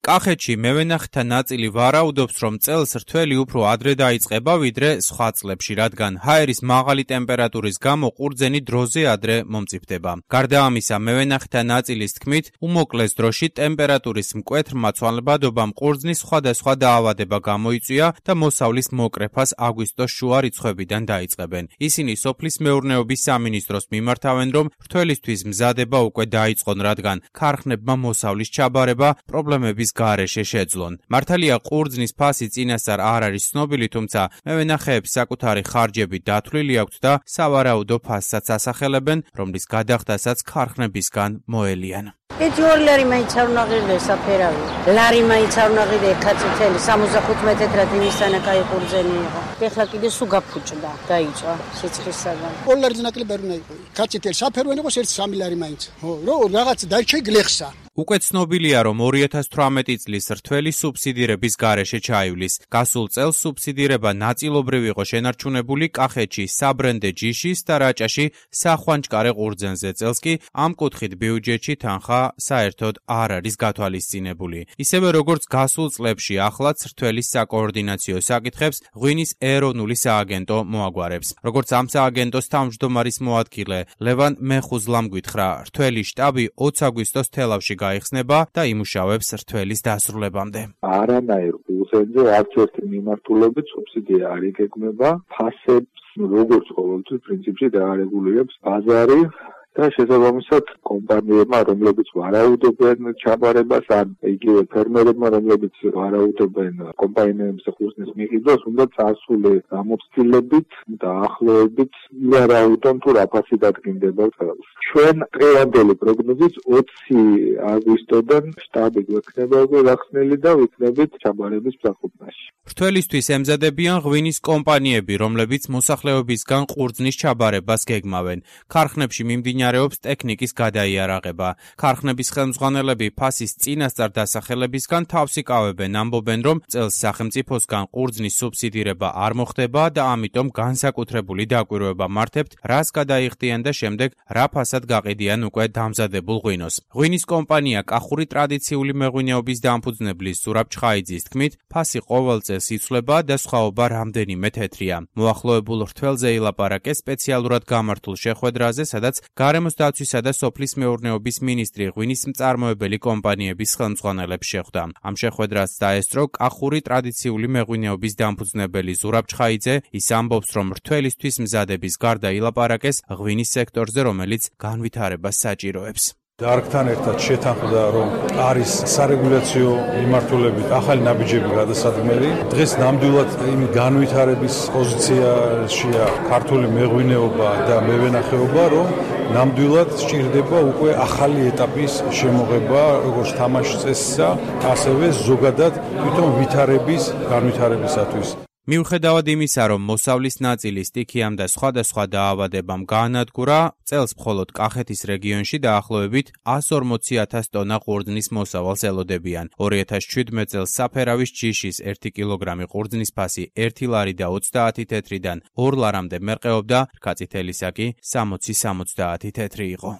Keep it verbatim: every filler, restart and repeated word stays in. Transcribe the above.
კახეთში მევენახეთა ნაწილი ვარაუდობს, რომ წელს რთველი უფრო ადრე დაიწყება, ვიდრე სხვა წლებში, რადგან ჰაერის მაღალი ტემპერატურის გამო ყურძენი დროზე ადრე მომწიფდება. გარდა ამისა, მევენახეთა ნაწილის თქმით, უმოკლეს დროში ტემპერატურის მკვეთრ მაცვალებადობამ ყურძნის სხვადასხვა დაავადება გამოიწვია და მოსავლის მოკრეფას აგვისტოს შუა რიცხვებიდან დაიწყებენ. ისინი სოფლის მეურნეობის სამინისტროს მიმართავენ, რომ რთველისთვის მზადება უკვე დაიწყონ, რადგან ქარხნებმა მოსავლის ჩაბარება პრობლემების გარეშე შეძლონ. მართალია ყურძნის ფასი წინასწარ არ არის ცნობილი, თუმცა მევენახეებს საკუთარი ხარჯები დათვლილი აქვთ და სავარაუდო ფასსაც ასახელებენ, რომლის გადახდასაც ქარხნებისგან მოელიან. ერთი ორი ლარი მაინც არ უნდა ღირდეს საფერავი. ლარი მაინც არ უნდა ღირდეს კაცეთელი სამოცდახუთმეტ თეთრად იმისთანა კაი ყურძენი იყო. ეხლა კიდე სულ გაფუჭდა, დაიწვა სიცხისაგან. ორი ლარის ნაკლებ არ უნდა იყო. კაცეთელი საფერავი იყოს ერთი სამი ლარი მაინც. ხო, რო რაღაც დაიჭე გლეხსა. უკვე ცნობილია, რომ ორი ათას თვრამეტი წლის რთველი სუბსიდირების გარეშე ჩაივლის. გასულ წელს სუბსიდირება ნაწილობრივ იყო შენარჩუნებული კახეთში საბრენდე ჯიშის და რაჭაში სახვანჭკარე ყურძენზე. წელს კი ამ კუთხით ბიუჯეტში თანხა საერთოდ არ არის გათვალისწინებული. ისევე როგორც გასულ წლებში, ახლაც რთველის საკოორდინაციო საკითხებს ღვინის ეროვნული სააგენტო მოაგვარებს. როგორც ამ სააგენტოს თავმჯდომარის მოადგილე ლევან მეხუზლამ გითხრა, რთველის შტაბი ოცი აგვისტოს თელავში გაიხსნება და იმუშავებს რთველის დასრულებამდე. არანაირ ყურძენზე არც ერთი მიმართულებით სუბსიდია არ იგეგმება, ფასებს როგორც ყოველთვის პრინციპში დაარეგულირებს ბაზარი და შესაბამისად კომპანიებმა, რომლებიც ვარაუდობენ ჩაბარებას, ან იგივე ფერმერებმა, რომლებიც ვარაუდობენ კომპანიების ყურძნის მიყიდვას, უნდა წასული გამოცდილებით და ახლოებით ვარაუდონ თუ რა ფასი დადგინდება წელს. ჩვენ დღევანდელი პროგნოზით ოცი აგვისტოდან შტაბი გვექნება უკვე გახსნილი და ვიქნებით ჩაბარების მსახურობაში. რთველისთვის ემზადებიან ღვინის კომპანიები, რომლებიც მოსახლეობისგან ყურძნის ჩაბარებას გეგმავენ. ქარხნებში მიმდინარეობს ტექნიკის გადაიარაღება. ქარხნების ხელმძღვანელები ფასის წინასწარ დასახელებისგან თავს იკავებენ, ამბობენ, რომ წელს სახელმწიფოსგან ყურძნის სუბსიდირება არ მოხდება და ამიტომ განსაკუთრებული დაკვირვება მართავთ, რას გადაიხდიან და შემდეგ რა ფასად გაყიდიან უკვე დამზადებულ ღვინოს. ღვინის კომპანია კახური ტრადიციული მეღვინეობის დამფუძნებლის ზურაბ ჩხაიძის თქმით, ფასი ყოველ წელს იცვლება და სხვაობა რამდენიმე თეთრია. მოახლოებულ რთველზე ილაპარაკეს სპეციალურად გამართულ შეხვედრაზე, სადაც გარემოს დაცვისა და სოფლის მეურნეობის მინისტრი ღვინის მწარმოებელი კომპანიების ხელმძღვანელებს შეხვდა. ამ შეხვედრას დაესწრო კახური ტრადიციული მეღვინეობის დამფუძნებელი ზურაბ ჩხაიძე. ის ამბობს, რომ რთველისთვის მზადების გარდა ილაპარაკეს ღვინის სექტორზე, რომელიც განვითარებას საჭიროებს. დარგთან ერთად შეთანხმდა, რომ არის სარეგულაციო მიმართულებით ახალი ნაბიჯები გადასადგმელი. დღეს ნამდვილად იმ განვითარების პოზიციაშია ქართული მეღვინეობა და მევენახეობა, რომ ნამდვილად სჭირდება უკვე ახალი ეტაპის შემოღება, როგორც თამაშის წესისა, ასევე ზოგადად თვითონ ვითარების განვითარებისათვის. მიუხედავად იმისა, რომ მოსავლის ნაწილი სტიქიამ და სხვადასხვა დაავადებამ გაანადგურა, წელს მხოლოდ კახეთის რეგიონში დაახლოებით ას ორმოცი ათას ტონა ყურძნის მოსავალს ელოდებიან. ორი ათას შვიდმეტ წელს საფერავის ჯიშის ერთი კილოგრამი ყურძნის ფასი ერთი ლარი და ოცდაათი თეთრიდან ორ ლარამდე მერყეობდა, რქაწითელისა კი სამოცი სამოცდაათი თეთრი იყო.